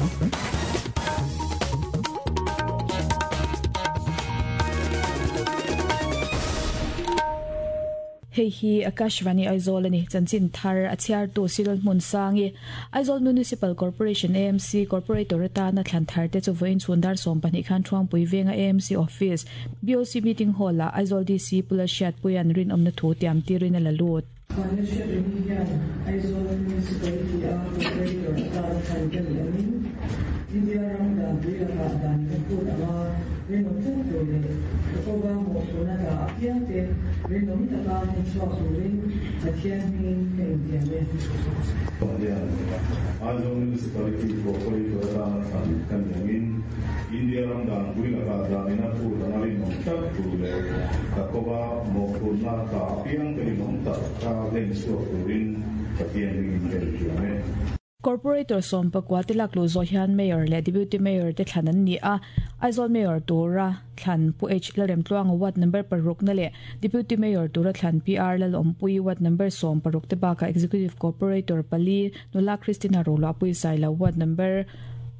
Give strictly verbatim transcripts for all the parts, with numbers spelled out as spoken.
Hei hi Akashvani Aizawl ani chanchin thar a chhiar tu Cyril Hmunsangi Aizawl Municipal Corporation A M C Corporator atana thlan thar te chu vawiin chhun dar sawm pahnih khan Thuangpui venga A M C Office B O C Meeting Hall ah Aizawl D C Pula Hriatpuian rinawmna thu tiam tirin a la lut. Aizawl Municipality a Corporator atana thlan ka ni angin India ram dan pui lakah dan ka phut anga rinawm tak tur leh ka kova mawhphurhna ta apiang te rinawm taka hmuchhuak turin Pathian hmingin ka intiam e. Aizawl Municipality Corporator atana thlan ka ni angin India ram dan pui lakah danin a phut anga rinawm tak tur leh ka kova mawhphurhna ta apiang te rinawm tak ka hlenchhuak turin Pathian hmingin ka intiam e. Corporator sawm pakua te lak lu zawh hian Mayor leh Deputy Mayor te thlan an ni a, Aizawl Mayor tura thlan Pu H Lalremtluanga ward number paruk na leh Deputy Mayor tura thlan P R Lalawmpui ward number sawm paruk te bakah Executive Corporator pali Nula Christina Roluahpui Sailo ward number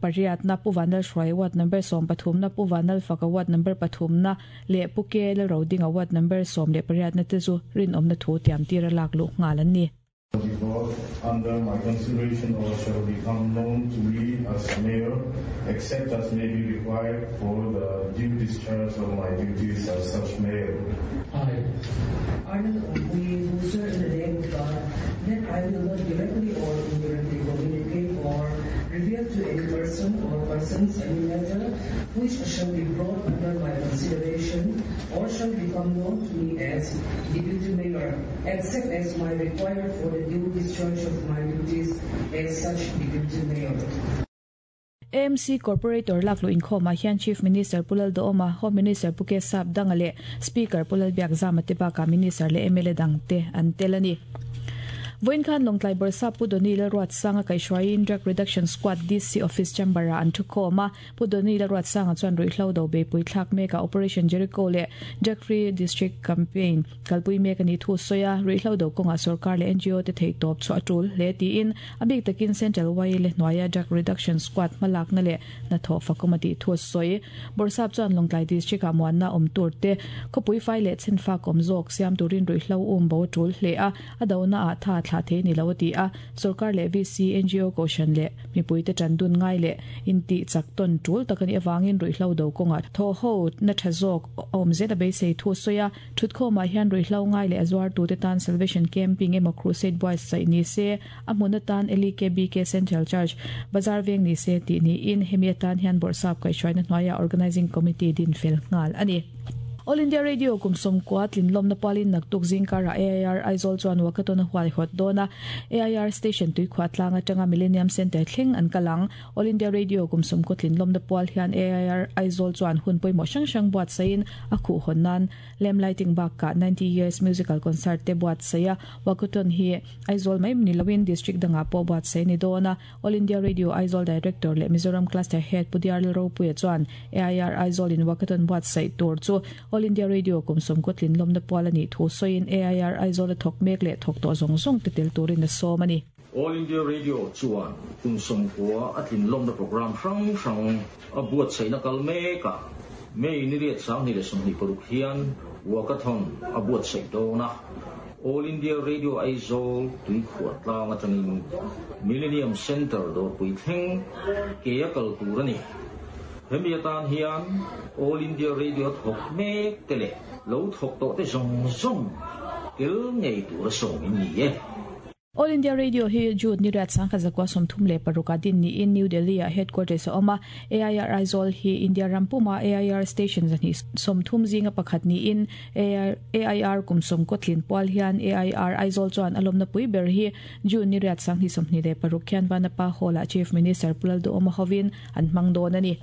pariat na Pu Vanlal Hruai ward number sawm pathum na Pu Vanlal Faka ward number pathum na leh Pu K Lalrodinga ward number sawm leh pariat na te chu rinawmna thu tiam tira lak luh nghal an ni. Under my consideration or shall become known to me as mayor, except as may be required for the due discharge of my duties as such mayor. I, Arnold Ompui, do swear in the name of God that I will not directly or indirectly communicate or reveal to any person or persons any matter which shall be brought under my consideration or shall become known to me as deputy mayor, except as may required for the due discharge of my duties as such deputy mayor. A M C Corporator laklu inkhawmah hian Chief Minister Pulal Dooma, Home Minister Pu K Sap Danga leh Speaker Pulal Biakzama te bakah Minister leh M L A dang te an tel a ni. Vawiin khan Lawngtlai Bawrhsap Pu Doni Lalruatsanga kaihhruaiin Drug Reduction Squad D C Office Chamber-ah an thu khawm a. Pu Doni Lalruatsanga chuan ruihhlo do beipui thlak mekah Operation Jericho leh Drug Free District Campaign kalpui mek a ni thu sawi a, ruihhlo do kawngah sarkar leh N G O te theih tawp chu a tul hle tiin a bik takin Central Y le hnuaia Drug Reduction Squad hmalakna leh hnathawh fakawm a tih thu sawi. Bawrhsap chuan Lawngtlai District-ah muanna awm tur te khawpui fai leh chhenfak awm zawk siam turin ruihhlo um bo a tul hle a, a dona ah tha thla the ni lo ti a, sarkar leh V C N G O koshan leh mipui te tan dun ngai leh inti chak ton tul takani awangin ruihhlo do kawngah thaw ho na tha zawk awm zet a beisei thu sawi a, thutkhawmah hian ruihhlo ngai leh a zuar tu te tan Salvation Camping emaw Crusade Boys saih ni se, a hmun atan L E K B K Central Church Bazar veng ni se tih niin hemi atan hian Bawrhsap kaihhruaina hnuaiah Organizing Committee din fel nghal a ni. All India Radio kum sawmkua tlinlawmna pualin naktuk zingkarah A I R Aizawl chuan walkathon a huai hawt dawn a, A I R Station tuikhuah tlang atanga Millennium Centre thleng an kalang. All India Radio kum sawmkua tlinlawmna pual hian A I R Aizawl chuan hun pawimawh hrang hrang buat saiin a khuh hawn nan lamp lighting bakah ninety years musical concert te buat sai a, walkathon hi Aizawl mai ni loin district dangah pawh buat sai ni dawn a. All India Radio Aizawl Director leh Mizoram Cluster Head Pu Diar Lalropuia chuan A I R Aizawl in walkathon buat sai tur chu All India Radio kum sawmkua tlinlawmna pual a nih thu sawiin A I R Aizawl a thawk mek leh thawk tawh zawng zawng te tel turin a sawm a ni. All India Radio chuan kum sawmkua a tlinlawmna program hrang hrang a buat saihna kal mekah May ni riat sang ni leh sawmhnih paruk hian walkathon a buat saih dawn a. All India Radio Aizawl tuikhuah tlang atangin Millennium Centre dawrpui thleng ke a kal tur a ni. Hemi atan hian All India Radio thawk mek te leh lo thawk tawh te zawng zawng tel ngei tur a sawmin ni e. All India Radio hi June ni riat sangkhat zakua sawmthum leh paruk a din niin New Delhi ah headquarters a awm a. A I R Aizawl hi India rampuma A I R station zahnih sawmthum zinga pakhat niin A I R kum sawmkaw tlin pual hian A I R Aizawl chuan a lawmna pui ber hi June ni riat sanghnih sawmhnih leh paruk khian Vanapa Hall ah Chief Minister Pulal Duhoma hovin an hmang dawn a ni.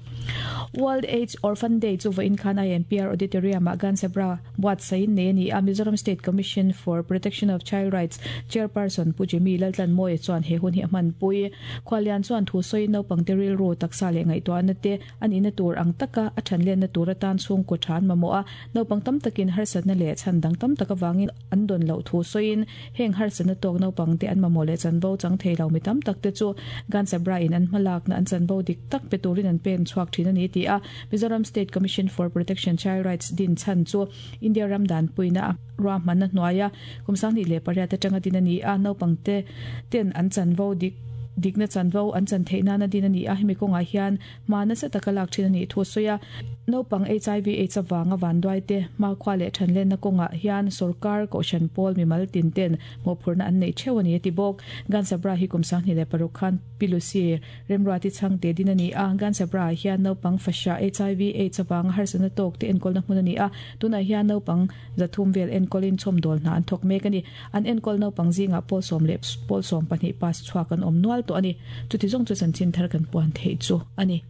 World AIDS Orphan Day chu vawiin khan I M P R Auditorium ah Gansabra buat saiin nei a ni a. Mizoram State Commission for Protection of Child Rights Chairperson Pu Jimmy Laltlanmawia chuan he hun hi a hmanpui. Khuallian chuan thu sawiin naupang te rilru taksa leh ngaihtuahna te an inna tur ang taka a thanlenna tur atan chhungkaw tha an mamawh a, naupang tam takin harsatna leh chhan dang tam tak avangin an dawn loh thu sawiin heng harsatna tawk naupang te an mamawh leh chanvo chang thei lo mi tam tak te chu Gansabra in an hmalakna an chanvo dik tak pe turin an pen chhuak thin a ni ti a. Mizoram State Commission for Protection Child Rights din chhan chu India ram dan puina ruahmanna hnuaia kum sanghnih leh pariat atanga din a ni a, naupang te ten an chanvo dik dikna chanvo an chan theih nana din a ni a. Hemi kawngah hian hma nasa taka lak thin a nih thu sawi a, naupang H I V AIDS avanga vanduai te hmakhua leh thanlenna kawngah hian sorkar kohhran pawl mimal tin ten mawhphurhna an neih theuh a ni a ti bawk. Gansabra hi kum sanghnih leh paruk khan Pilusi Remruati changte din a ni a. Gansabra hian naupang fasha H I V AIDS avanga harsatna tawk te enkawlna hmun a ni a, tunah hian naupang zathum vel enkawlin chhawmdawl hna an thawk mek a ni. An enkawl naupang zingah pawl sawm leh pawl sawm pahnih pass chhuak an awm nual tawh a ni. Chuti zawng chu chanchin thar kan puan theih chu a ni.